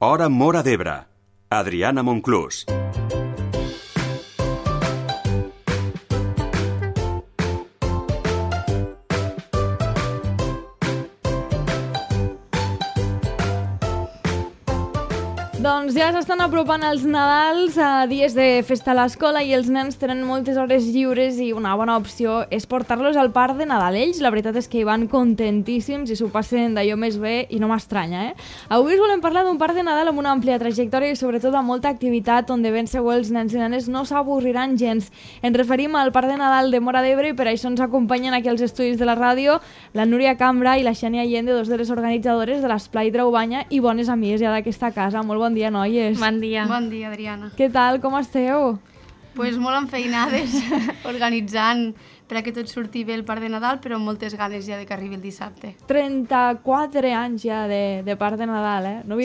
Hora Móra d'Ebre. Adriana Monclús. Doncs ja s'estan apropant els Nadals, a dies de festa a l'escola, i els nens tenen moltes hores lliures i una bona opció és portar-los al parc de Nadal. Ells, la veritat és que hi van contentíssims i s'ho passen d'allò més bé i no m'estranya, Avui us volem parlar d'un parc de Nadal amb una àmplia trajectòria i sobretot amb molta activitat on de ben segur els nens i nenes no s'avorriran gens. Ens referim al parc de Nadal de Móra d'Ebre i per això ens acompanyen aquí als estudis de la ràdio la Núria Cambra i la Xènia Allende, dos de les organitzadores de l'Esplai Traubanya i bones amigues ja d'aquesta casa. Molt bon dia, noies. Bon dia. Bon dia, Adriana. Què tal? Com esteu? Pues molt enfeinades, organitzant per a que tot surti bé el parc de Nadal, però amb moltes ganes ja de que arribi el dissabte. 34 anys ja de parc de Nadal, No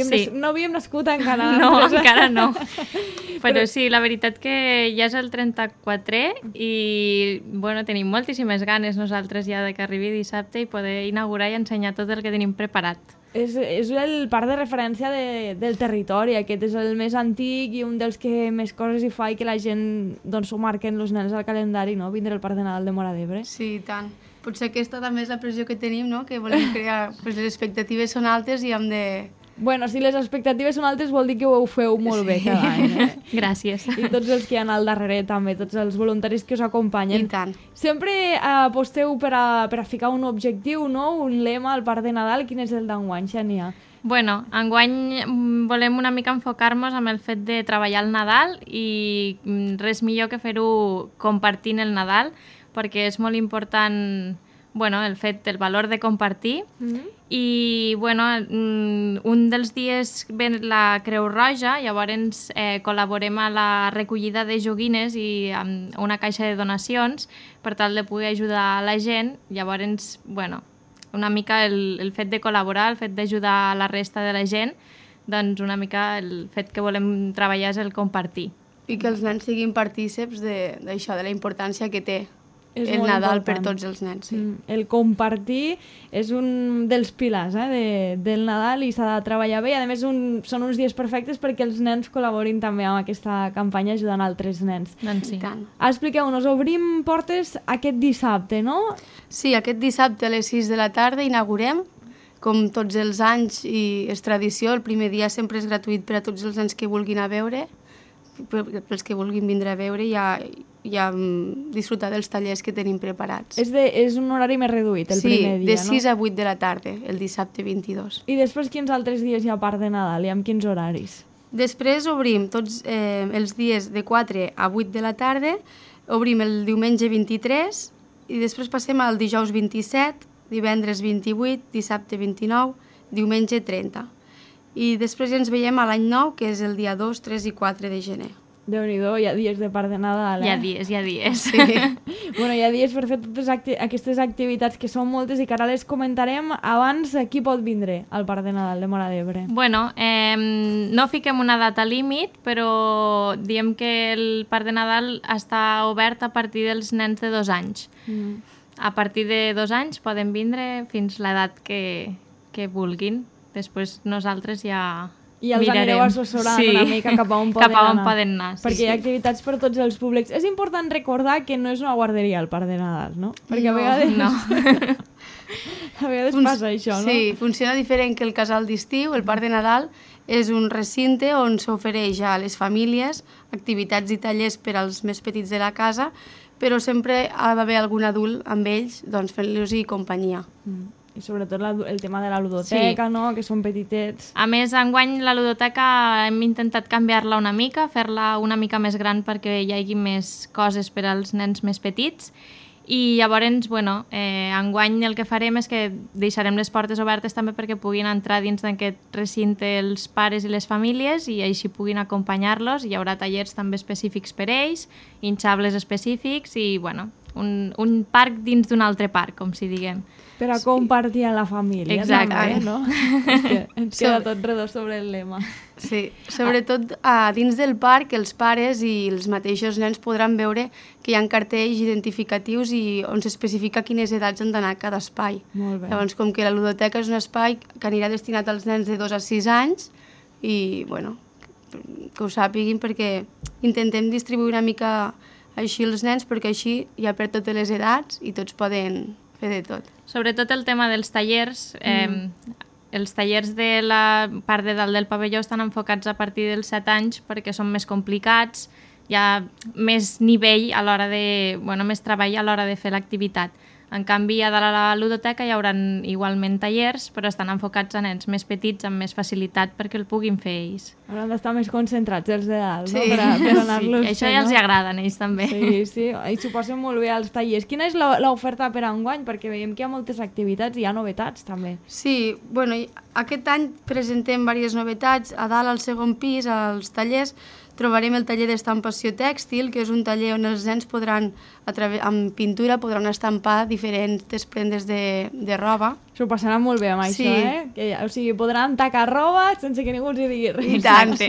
havíem nascut encara. No, encara no. Però sí, la veritat que ja és el 34è i bueno, tenim moltíssimes ganes nosaltres ja de que arribi dissabte i poder inaugurar i ensenyar tot el que tenim preparat. És el parc de referència del territori. Aquest és el més antic i un dels que més coses hi fa i que la gent doncs, ho marquen els nens al calendari, no? Vindre al parc de Nadal de Móra d'Ebre. Sí, i tant. Potser aquesta també és la pressió que tenim, no? Que volem crear... Pues les expectatives són altes i hem de... Bueno, si les expectatives són altes vol dir que ho feu molt bé cada any. Gràcies. I tots els que hi ha al darrere també, tots els voluntaris que us acompanyen. I tant. Sempre aposteu per a ficar un objectiu, no? Un lema al parc de Nadal. Quin és el d'enguany, Xènia? Bueno, enguany volem una mica enfocar-nos amb el fet de treballar el Nadal i res millor que fer-ho compartint el Nadal, perquè és molt important el valor de compartir. I un dels dies ve la Creu Roja, llavors col·laborem a la recollida de joguines i amb una caixa de donacions per tal de poder ajudar la gent. Llavors, una mica el fet de col·laborar, el fet d'ajudar a la resta de la gent, doncs una mica el fet que volem treballar és el compartir. I que els nens siguin partíceps d'això, de la importància que té És el molt Nadal important. per tots els nens. Sí. El compartir és un dels pilars del Nadal i s'ha de treballar bé. I a més són uns dies perfectes perquè els nens col·laborin també amb aquesta campanya ajudant altres nens. Doncs sí. Expliqueu-nos, obrim portes aquest dissabte, no? Sí, aquest dissabte a les 6 de la tarda inaugurem, com tots els anys i és tradició, el primer dia sempre és gratuït per a tots els nens que vulguin a veure, pels que vulguin vindre a veure i a disfrutar dels tallers que tenim preparats. És un horari més reduït, el primer dia, no? Sí, de 6 a 8 de la tarda, el dissabte 22. I després quins altres dies hi ha a part de Nadal i amb quins horaris? Després obrim tots els dies de 4 a 8 de la tarda, obrim el diumenge 23 i després passem al dijous 27, divendres 28, dissabte 29, diumenge 30. I després ja ens veiem a l'any nou, que és el dia 2, 3 i 4 de gener. Déu-n'hi-do, hi ha dies de parc de Nadal, Hi ha dies. Sí. Hi ha dies per fer totes aquestes activitats que són moltes i que ara les comentarem. Abans, qui pot vindre al parc de Nadal de Móra d'Ebre? No fiquem una data límit, però diem que el parc de Nadal està obert a partir dels nens de 2 anys. A partir de 2 anys poden vindre fins l'edat que vulguin. Després nosaltres ja i els mirarem. Anireu assessorant una mica cap a on poden anar. Perquè hi ha activitats per tots els públics. És important recordar que no és una guarderia el parc de Nadal, no? Perquè a vegades passa això, no? Sí, funciona diferent que el casal d'estiu. El parc de Nadal és un recinte on s'ofereix a les famílies activitats i tallers per als més petits de la casa, però sempre ha d'haver algun adult amb ells fent-los companyia. I sobretot el tema de la ludoteca, no? Que són petitets. A més, enguany la ludoteca hem intentat canviar-la una mica, fer-la una mica més gran perquè hi hagi més coses per als nens més petits. I llavors, enguany el que farem és que deixarem les portes obertes també perquè puguin entrar dins d'aquest recinte els pares i les famílies i així puguin acompanyar-los. Hi haurà tallers també específics per ells, hinxables específics i, un parc dins d'un altre parc, com si diguem. Per a compartir amb la família. Exacte. També, no? És que ens queda tot redós sobre el lema. Sí, sobretot dins del parc els pares i els mateixos nens podran veure que hi ha cartells identificatius i on s'especifica quines edats han d'anar a cada espai. Molt bé. Llavors, com que la ludoteca és un espai que anirà destinat als nens de 2 a 6 anys, i, bueno, que ho sàpiguin perquè intentem distribuir una mica així els nens perquè així hi ha per totes les edats i tots poden fer de tot. Sobretot el tema dels tallers. Els tallers de la part de dalt del pavelló estan enfocats a partir dels 7 anys perquè són més complicats, hi ha més nivell a l'hora de... més treball a l'hora de fer l'activitat. En canvi, a dalt a la ludoteca hi haurà igualment tallers, però estan enfocats a nens més petits, amb més facilitat perquè el puguin fer ells. Hauran d'estar més concentrats els de dalt, Sí. no? Per anar-los Sí, això ja els hi agrada a ells també. Sí, i s'ho passen molt bé als tallers. Quina és l'oferta per enguany? Perquè veiem que hi ha moltes activitats i hi ha novetats també. Sí, bueno, aquest any presentem diverses novetats. A dalt, al segon pis, als tallers, trobarem el taller d'estampació tèxtil, que és un taller on els nens podran, amb pintura, podran estampar diferents prendes de roba. S'ho passaran molt bé amb Sí. això, o sigui, podran tacar roba sense que ningú els hi digui res. I tant, sí.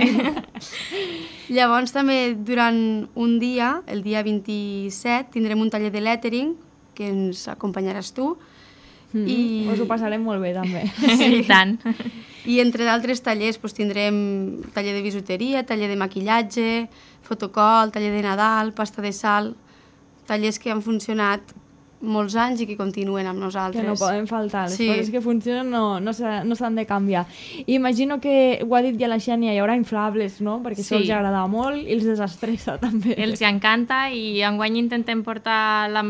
Llavors també durant un dia, el dia 27, tindrem un taller de lettering, que ens acompanyaràs tu. Us ho passarem molt bé també. Sí, i tant. I entre d'altres tallers tindrem taller de bisuteria, taller de maquillatge, fotocol, taller de Nadal, pasta de sal, tallers que han funcionat molts anys i que continuen amb nosaltres. Que no poden faltar, les Sí. coses que funcionen no s'han de canviar. I imagino que, ho ha dit ja la Xènia, hi haurà inflables, no? Perquè això Sí. els agrada molt i els desestressa també. Els hi encanta i enguany intentem portar la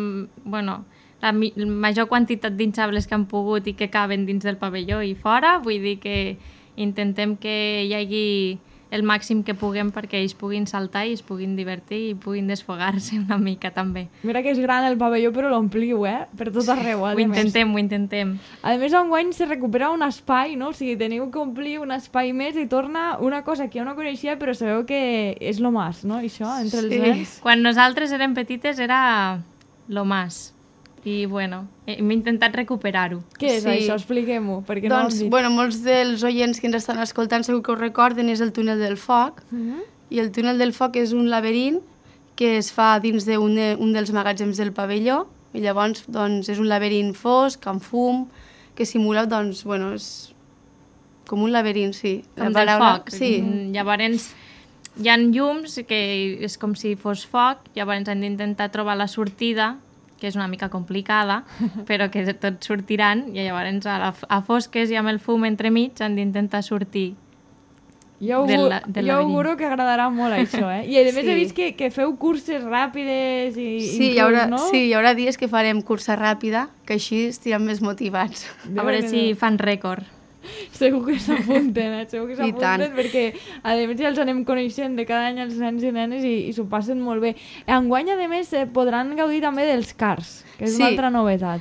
major quantitat d'inxables que han pogut i que caben dins del pavelló i fora. Vull dir que intentem que hi hagi el màxim que puguem perquè ells puguin saltar i es puguin divertir i puguin desfogar-se una mica també. Mira que és gran el pavelló, però l'ompliu, per tot arreu. Ho intentem. A més, enguany se recupera un espai, no? O sigui, teniu que omplir un espai més i torna una cosa que jo no coneixia, però sabeu que és lo más, no? Això, entre els nens. Quan nosaltres érem petites era lo más. I, bueno, hem intentat recuperar-ho. Què és Sí. això? Expliquem-ho, perquè no ho Doncs, hem dit. bueno, molts dels oients que ens estan escoltant segur que ho recorden, és el túnel del foc. I el túnel del foc és un laberint que es fa dins d'un dels magatzems del pavelló. I llavors, doncs, és un laberint fosc, amb fum, que simula, doncs, bueno, és com un laberint, sí. Com del foc. Sí. Llavors, hi ha llums, que és com si fos foc, llavors hem d'intentar trobar la sortida, que és una mica complicada, però que tots sortiran, i llavors a fosques i amb el fum entremig han d'intentar sortir. Jo del auguro que agradarà molt això, I a més Sí. he vist que feu curses ràpides i Sí, inclús, no? hi haurà dies que farem cursa ràpida, que així estirem més motivats. A veure si fan rècord. Segur que s'apunten, segur que I tant. s'apunten perquè a més ja els anem coneixent de cada any els nens i nenes i s'ho passen molt bé. Enguany, a més, podran gaudir també dels cars, que és una Sí. altra novetat.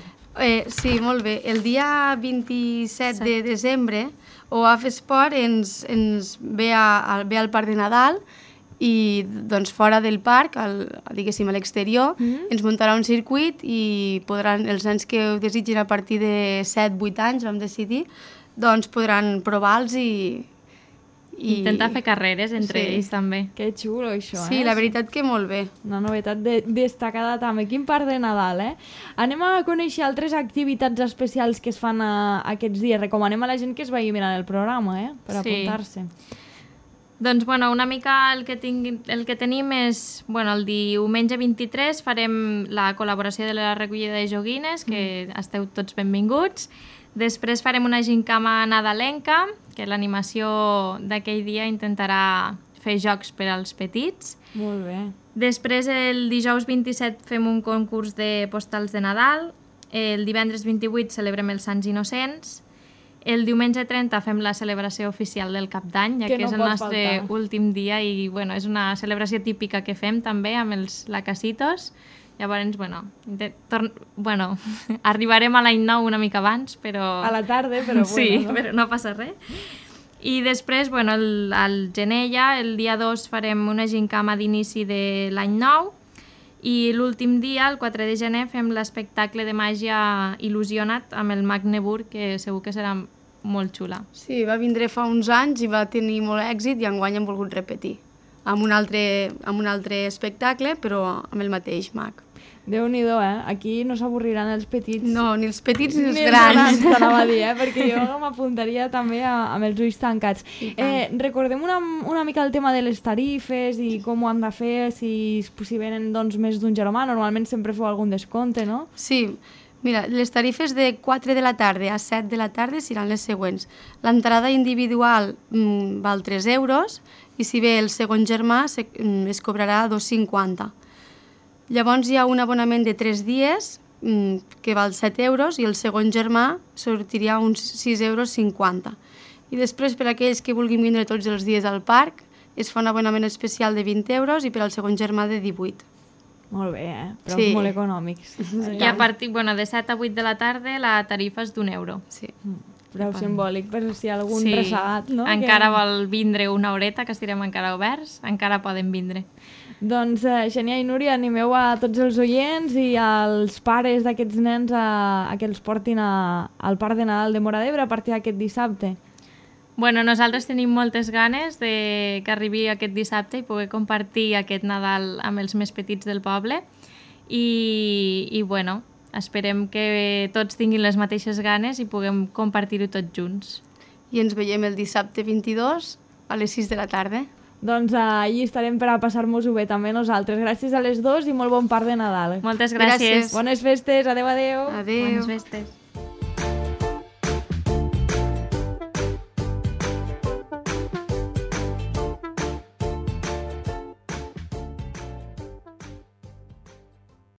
Sí, molt bé. El dia 27 de desembre, OAF Esport ens ve al Parc de Nadal i doncs fora del parc, diguéssim a l'exterior, ens muntarà un circuit i podran, els nens que ho desitgin a partir de 7-8 anys, vam decidir, doncs podran provar-los i Intentar fer carreres entre Sí. ells també. Que xulo, això, Sí, la veritat que molt bé. Una novetat destacada també. Quin Parc de Nadal, Anem a conèixer altres activitats especials que es fan aquests dies. Recomanem a la gent que es vagi mirant el programa, per Sí. apuntar-se. Doncs, bueno, una mica el que tenim és... Bueno, el diumenge 23 farem la col·laboració de la recollida de joguines, que esteu tots benvinguts. Després farem una gincama nadalenca, que l'animació d'aquell dia intentarà fer jocs per als petits. Molt bé. Després, el dijous 27 fem un concurs de postals de Nadal. El divendres 28 celebrem els Sants Innocents. El diumenge 30 fem la celebració oficial del Cap d'Any, ja Que que no és el pot nostre faltar. últim dia i bueno, és una celebració típica que fem també amb els lacasitos. Llavors, arribarem a l'any nou una mica abans, però... A la tarda, però bueno. Sí, no? però no passa res. I després, al gener ja, el dia 2 farem una gincama d'inici de l'any nou i l'últim dia, el 4 de gener, fem l'espectacle de màgia Il·lusionat amb el Mag Nebur, que segur que serà molt xula. Sí, va vindre fa uns anys i va tenir molt èxit i enguany hem volgut repetir amb un altre espectacle, però amb el mateix mag. Déu-n'hi-do, Aquí no s'avorriran els petits. No, ni els petits ni els Ni grans. t'anava a dir, perquè jo m'apuntaria també amb els ulls tancats. Recordem una mica el tema de les tarifes i com ho han de fer, si venen doncs, més d'un germà. Normalment sempre feu algun descompte, no? Sí, mira, les tarifes de 4 de la tarda a 7 de la tarda seran les següents. L'entrada individual val 3 euros i si ve el segon germà es cobrarà 2,50. Llavors hi ha un abonament de 3 dies que val 7 euros i el segon germà sortiria uns 6,50 euros. I després per aquells que vulguin vindre tots els dies al parc es fa un abonament especial de 20 euros i per al segon germà de 18. Molt bé, però Sí. molt econòmics. I a partir de 7 a 8 de la tarda la tarifa és d'1 euro. Sí. Preu simbòlic, per si algun ressagat, no? Encara vol vindre una horeta, que estirem encara oberts, encara poden vindre. Doncs, Xènia i Núria, animeu a tots els oients i als pares d'aquests nens a que els portin al Parc de Nadal de Móra d'Ebre a partir d'aquest dissabte. Bueno, nosaltres tenim moltes ganes que arribi aquest dissabte i poder compartir aquest Nadal amb els més petits del poble i bueno, esperem que tots tinguin les mateixes ganes i puguem compartir-ho tots junts. I ens veiem el dissabte 22 a les 6 de la tarda. Doncs allí estarem per a passar-nos-ho bé també nosaltres. Gràcies a les dos i molt bon Parc de Nadal. Moltes gràcies. Gràcies. Bones festes, adeu, adeu. Adéu. Bones festes.